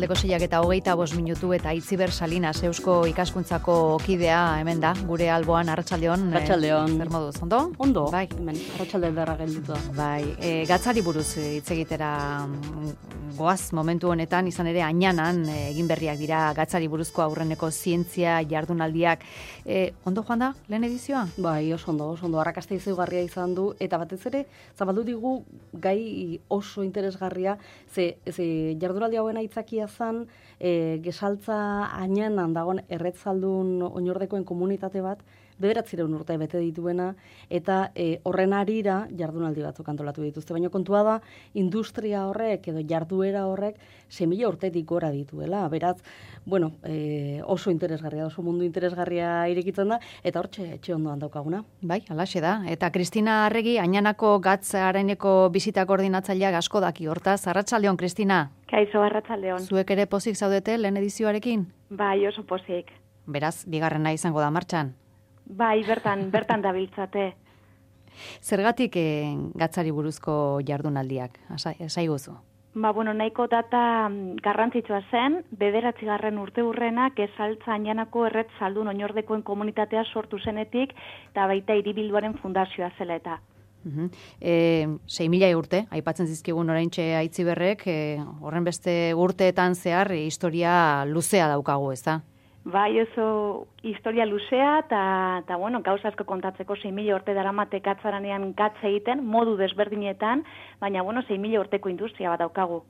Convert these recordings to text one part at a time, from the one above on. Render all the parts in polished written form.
Arratsaldeko 6:25 eta Itziber Salinas Eusko Ikaskuntzako kidea hemen da, gure alboan. Arratsaldeon. Arratsaldeon. Zer moduz, ondo? Ondo. Bai. Hemen arratsalde ederra gelditu da. Bai, gatzari buruz hitz egitera goaz momentu honetan, izan ere Añanan egin berriak dira gatzari buruzko aurreneko zientzia jardunaldiak. Ondo joan da lehen edizioa? Bai, oso ondo. Arrakasta izugarria izan du eta batez ere zabaldu digu gai oso interesgarria, ze jardunaldi hauen aitzakia zen Gesaltza Añanan dagoen erretzaldun oinordekoen komunitate bat 900 urte bete dituena, eta horren harira jardunaldi batzuk antolatu dituzte. Baina kontua da, industria horrek edo jarduera horrek 6.000 urtetik gora dituela. Beraz, oso interesgarria, oso mundu interesgarria irekitzen da, eta hortxe etxe ondoan daukaguna. Bai, halaxe da. Eta Kristina Arregi, Añanako gatz areneko bisita koordinatzaileak asko daki hortaz. Arratsaldeon, Kristina. Kaixo, arratsaldeon. Zuek ere pozik zaudete lehen edizioarekin? Bai, oso pozik. Beraz, bigarrena izango da martxan? Bai, bertan dabiltzate. Zergatik gatzari buruzko jardunaldiak? Esaiguzu. Nahiko data garrantzitsua zen, 9. urteurrenak Gesaltza Añanako erretzaldun oinordekoen komunitatea sortu zenetik, eta baita hiribilduaren fundazioa zela eta. 6.000 urte, aipatzen zizkigun oraintxe Aitziberrek, horren beste urteetan zehar historia luzea daukagu, ez da? Bai, oso historia luzea, eta gauza asko kontatzeko 6.000 urte daramate gatzaranean gatz egiten, modu desberdinetan, baina 6.000 urteko industria bat daukagu.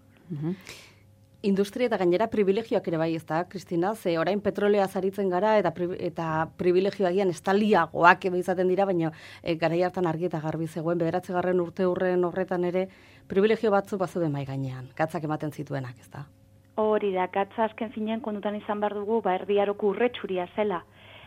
Industria eta gainera privilegioak ere bai, ez da, Kristina? Ze orain petrolea zaritzen gara eta privilegioagian estaliagoak izaten dira, baina garai hartan argi eta garbi zegoen, 9. urteurren horretan ere privilegio batzuk bazuden mai gainean, gatzak ematen zituenak, ez da? Hori da, gatza azken finean kontutan izan behar dugu, Erdi Aroko urretsuria zela.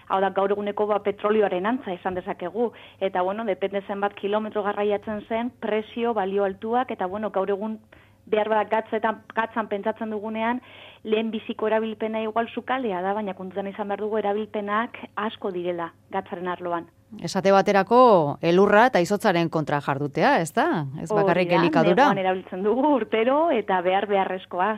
Hau da, gaur eguneko petrolioaren antza izan dezakegu. Eta, depende zenbat kilometro garraiatzen zen, presio, balio altuak, eta, gaur egun behar bat gatzan pentsatzen dugunean, lehen biziko erabilpena igual sukalea da, baina kontutan izan behar dugu erabilpenak asko direla gatzaren arloan. Esate baterako elurra eta izotzaren kontra jardutea, ez da? Ez bakarrik elikadura. Neguan erabiltzen dugu urtero eta beharrezkoa.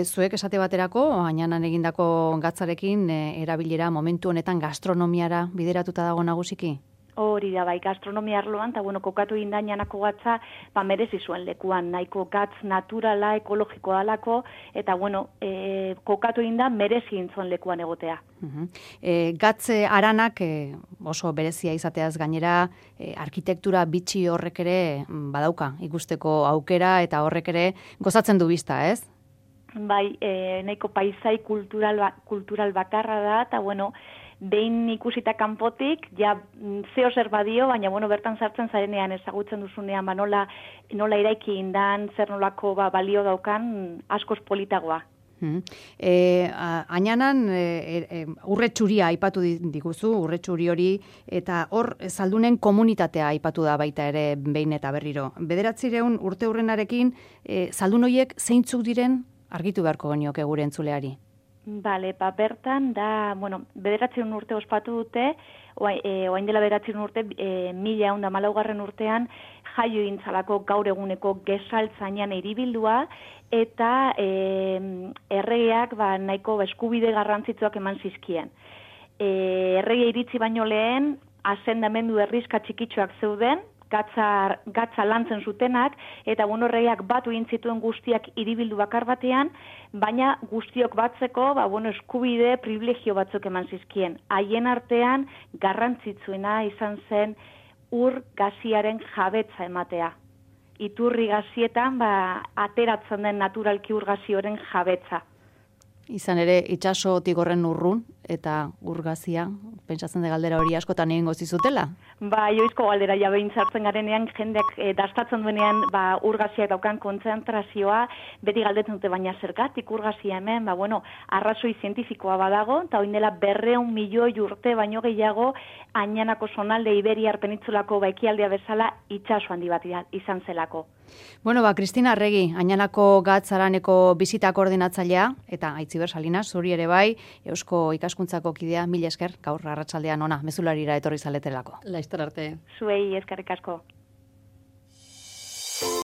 Zuek esate baterako, Añanan egindako gatzarekin erabilera momentu honetan gastronomiara bideratuta dago nagusiki? Hori da, bai, gastronomia arloan, eta kokatu egin da Añanako gatza, merezi zuen lekuan, nahiko gatz naturala, ekologikoa dalako, eta kokatu egin da merezi zuen lekuan egotea. Gatze aranak oso berezia izateaz gainera, arkitektura bitxi horrek ere badauka, ikusteko aukera, eta horrek ere gozatzen du bizta, ez? Bai, nahiko paisai kultural bakarra da, eta behin ikusita kanpotik, zeo zer badio, baina bertan sartzen zarenean ezagutzen duzunean, nola eraiki indan, zer nolako balio daukan, askoz politagoa. Añanan urretxuria aipatu diguzu, urretxuri hori, eta hor zaldunen komunitatea aipatu da baita ere behin eta berriro. 900 urteurrenarekin, zaldun horiek zeintzuk diren argitu beharko genioke gure entzuleari? Bale, bertan da, 900 urte ospatu dute, oain dela 900 urte, 1114 urtean, jaio intzalako gaur eguneko Gesaltza Añana hiribildua, eta erregeak nahiko eskubide garrantzitsuak eman zizkien. Errege iritzi baino lehen, asendamendu herrizka txikitxoak zeuden, gatza lantzen zutenak, eta erregeak batu egin zituen guztiak hiribildu bakar batean, baina guztiok batzeko, eskubide, privilegio batzuk eman zizkien. Haien artean, garrantzitsuena izan zen ur gaziaren jabetza ematea. Iturri gazietan, ateratzen den naturalki ur gazioren jabetza. Izan ere, itxasotik horren urrun, eta urgazia, pentsatzen de galdera hori askotan egingo zizutela? Oizko galdera behin sartzen garenean, jendeak dastatzen duenean urgaziak daukan kontzentrazioa, beti galdetzen dute, baina zergatik urgazia hemen, arrazoi zientifikoa badago, eta oin dela 200 milioi urte baino gehiago, Añanako zonalde Iberiar penitzulako ekialdea bezala itxaso handi bat izan zelako. Kristina Arregi, Añanako gatzaraneko bisita koordinatzailea, eta Itziber Salinas, zuri ere bai, Eusko Ikaskuntzako kidea, mila esker, gaur arratsaldean ona, mezularira etorri zaletelako. Laizter arte. Zuei eskerrik asko.